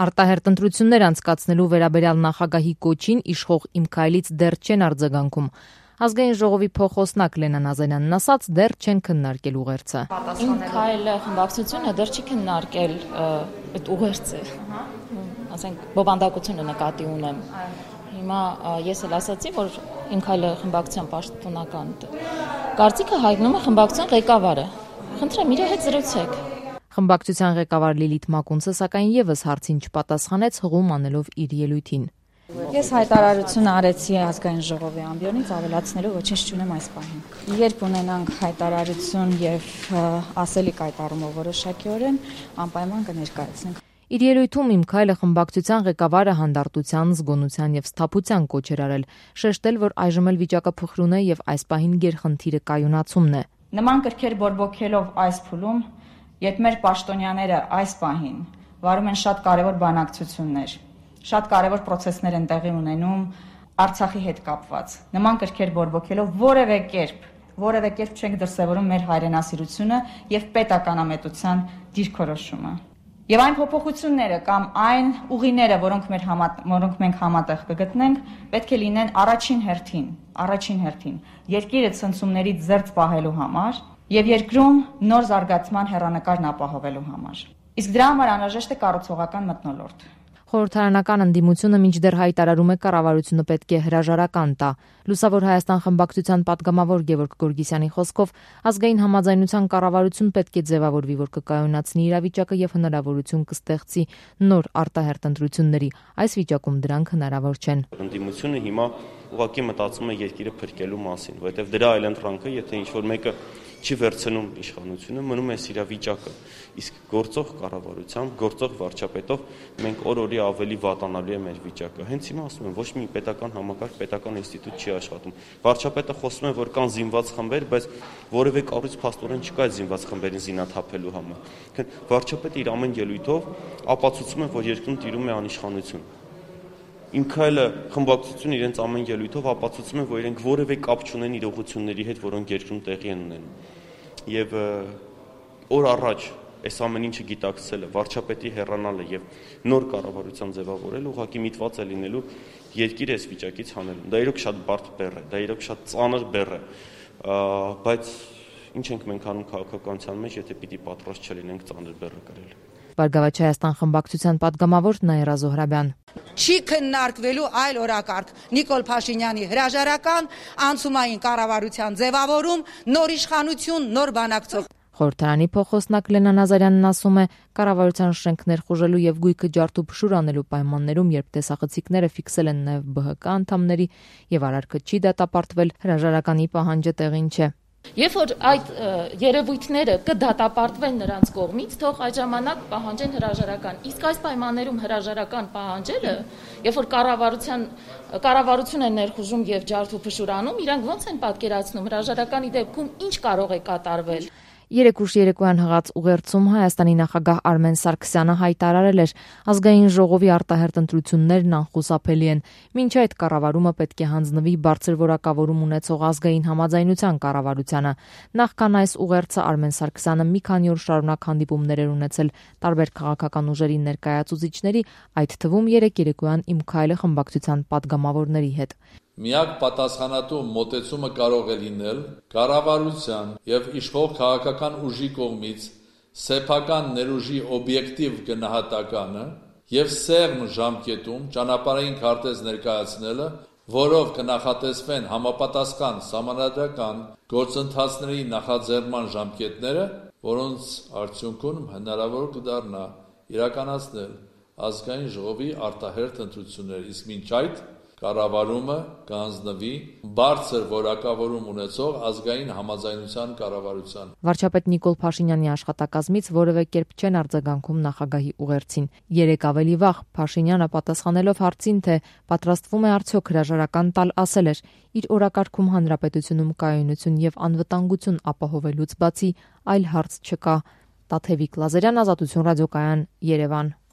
Արտահերտ ընտրություններ անցկացնելու վերաբերյալ նախագահի կոչին իշխող Իմ քայլից դեռ չեն արձագանքում։ Ազգային ժողովի փոխոսնակ Լենա Նազարյանն ասաց, դեռ չեն քննարկել ուղերձը։ Իմ քայլը խմբակցությունը դեռ չի քննարկել այդ ուղերձը։ Ասենք բովանդակությունը նկատի ունեմ։ Հիմա ես էլ ասացի, որ Իմ քայլը խմբակցության պաշտոնական կարծիքը հայտնում է խմբակցության ղեկավարը։ Խնդրեմ, իր հետ զրուցեք։ Խմբակցության ղեկավար Լիլիթ Մակունցը սակայն եւս հարցին չպատասխանեց, հղում անելով իր ելույթին։ Ես հայտարարություն արեցի ազգային ժողովի ամբիոնից, ավելացնելու ոչինչ չունեմ այս պահին։ Երբ ունենանք հայտարարություն եւ ասելիք այդ առումով որոշակիորեն, անպայման կներկայացնենք։ Իր ելույթում Իմ քայլը խմբակցության ղեկավարը հանդարտության, զգոնության եւ սթափության կոչ էր արել, շեշտել, որ այժմ էլ վիճակը փխրուն է եւ այս պահին գերխնդիրը կայունացումն է։ Նման կրքեր բորբոքելով այս փուլում, երբ մեր պաշտոնյաները այս պահին վարում են շատ կարևոր բանակցություններ, շատ կարևոր process-ներ են տեղի ունենում Արցախի հետ կապված։ Նման կրքեր բորբոքելով որևէ կերպ չենք դրսևորում մեր հայրենասիրությունը եւ պետականամետության դիրքորոշումը։ Եվ այն փոփոխությունները կամ այն ուղիները, որոնք մենք համատեղ կգտնենք, պետք է լինեն առաջին հերթին երկիրը ցնցումներից զերծ պահելու համար եւ երկրում նոր զարգացման հեռանկարն ապահովելու համար։ Իսկ դրա համար անհրաժեշտ է կառուցողական մթնոլորտ։ Խորհրդարանական ընդդիմությունը մինչդեռ հայտարարում է կառավարությունը պետք է հրաժարական տա։ Լուսավոր Հայաստան խմբակցության падգամավոր Գևորգ Գորգիսյանի խոսքով ազգային համաձայնության կառավարություն պետք է ձևավորվի, որ կկայունացնի իրավիճակը եւ հնարավորություն կստեղծի նոր արտահերտ ընտրությունների։ Այս վիճակում դրանք հնարավոր չեն։ Ընդդիմությունը հիմա ուղղակի մտածում է երկիրը փրկելու մասին, որովհետեւ դրա այլընտրանքը, եթե ինչ-որ մեկը չի վերցնում իշխանությունը, մնում է իրավիճակը։ Իսկ գործող կառավարությամբ, գործող վարչապետով մենք օր-օրի ավելի վատանալու է մեր վիճակը։ Հենց հիմա ասում եմ, ոչ մի պետական համակարգ, պետական ինստիտուտ չի աշխատում։ Վարչապետը խոսում է, որ կան զինված խմբեր, բայց որևէ կառույց փաստորեն չկա այդ զինված խմբերին զինաթափելու համար։ Վարչապետը իր ամեն ելույթով ապացուցում է, որ երկրում տիրում է անիշխանություն։ Իմ քայլը խմբակցությունը իրենց ամեն ելույթով ապացուցում է, որ իրենք որևէ կապ չունեն իրողությունների հետ, որոնք երկրում տեղի են ունենում։ Եվ օր առաջ այս ամեն ինչը գիտակցելը, վարչապետի հեռանալը եւ նոր կառավարության ձևավորելը ուղղակի միտված է լինելու երկիրը այս վիճակից հանելու։ Դա իրոք շատ բարդ բեռ է, դա իրոք շատ ծանր բեռ է, բայց ինչ ենք մենք անում քաղաքականության մեջ, եթե պիտի պատրաստ չլինենք ծանր բեռը կրել։ Բարգավաճ Հայաստան խմբակցության падգամավոր Նաիրա Զոհրաբյան։ Չի քննարկվելու այլ օրակարգ Նիկոլ Փաշինյանի հրաժարական, անցումային կառավարության ձևավորում, նոր իշխանություն, նոր բանակցող։ Խորհրդարանի փոխոսնակ Լենա Նազարյանն ասում է, կառավարության շենքներ խուժելու եւ գույքը ջարդու փշուր անելու պայմաններում, երբ տեսախցիկները ֆիքսել են նաեւ ԲՀԿ անդամների եւ արարքը չի դատապարտվել, հրաժարականի պահանջը տեղին չէ։ Երբ որ այդ երևույթները կդատապարտվեն նրանց կողմից, թող այդ ժամանակ պահանջեն հրաժարական։ Իսկ այս պայմաններում հրաժարական պահանջելը, երբ որ կառավարություն է ներխուժում եւ ջարդու փշուրանում, իրանք ո՞նց են պատկերացնում հրաժարականի դեպքում ինչ կարող է կատարվել։ Երեկուշ երեկոյան հղած ուղերձում Հայաստանի նախագահ Արմեն Սարգսյանը հայտարարել էր, ազգային ժողովի արտահերտ ընտրություններն անխուսափելի են։ Մինչ այդ կառավարումը պետք է հանձնվի բարձր որակավորում ունեցող ազգային համաձայնության կառավարությանը։ Նախքան այս ուղերձը Արմեն Սարգսյանը մի քանի օր շարունակ հանդիպումներ էր ունեցել տարբեր քաղաքական ուժերի ներկայացուցիչների, այդ թվում երեկոյան Իմ քայլը խմբակցության падգամավորների հետ։ Միակ պատասխանատու մոտեցումը կարող է լինել կառավարության եւ իշխող քաղաքական ուժի կողմից սեփական ներուժի օբյեկտիվ գնահատականը եւ սեղմ ժամկետում ճանապարհային քարտեզ ներկայացնելը, որով կնախատեսվեն համապատասխան սահմանադրական գործընթացների նախաձեռնման ժամկետները, որոնց արդյունքում հնարավոր կդառնա իրականացնել ազգային ժողովի արտահերթ ընտրություններ, իսկ մինչ այդ կառավարումը կհանձնվի բարձր որակավորում ունեցող ազգային համաձայնության կառավարության։ Վարչապետ Նիկոլ Փաշինյանի աշխատակազմից որևէ կերպ չեն արձագանքում նախագահի ուղերձին։ Երեկ ավելի վաղ Փաշինյանը պատասխանելով հարցին, թե պատրաստվում է արդյոք հրաժարական տալ, ասել էր. իր օրակարգում հանրապետությունում կայունություն եւ անվտանգություն ապահովելուց բացի այլ հարց չկա։ Տաթևիկ Լազարյան, Ազատություն ռադիոկայան, Երևան։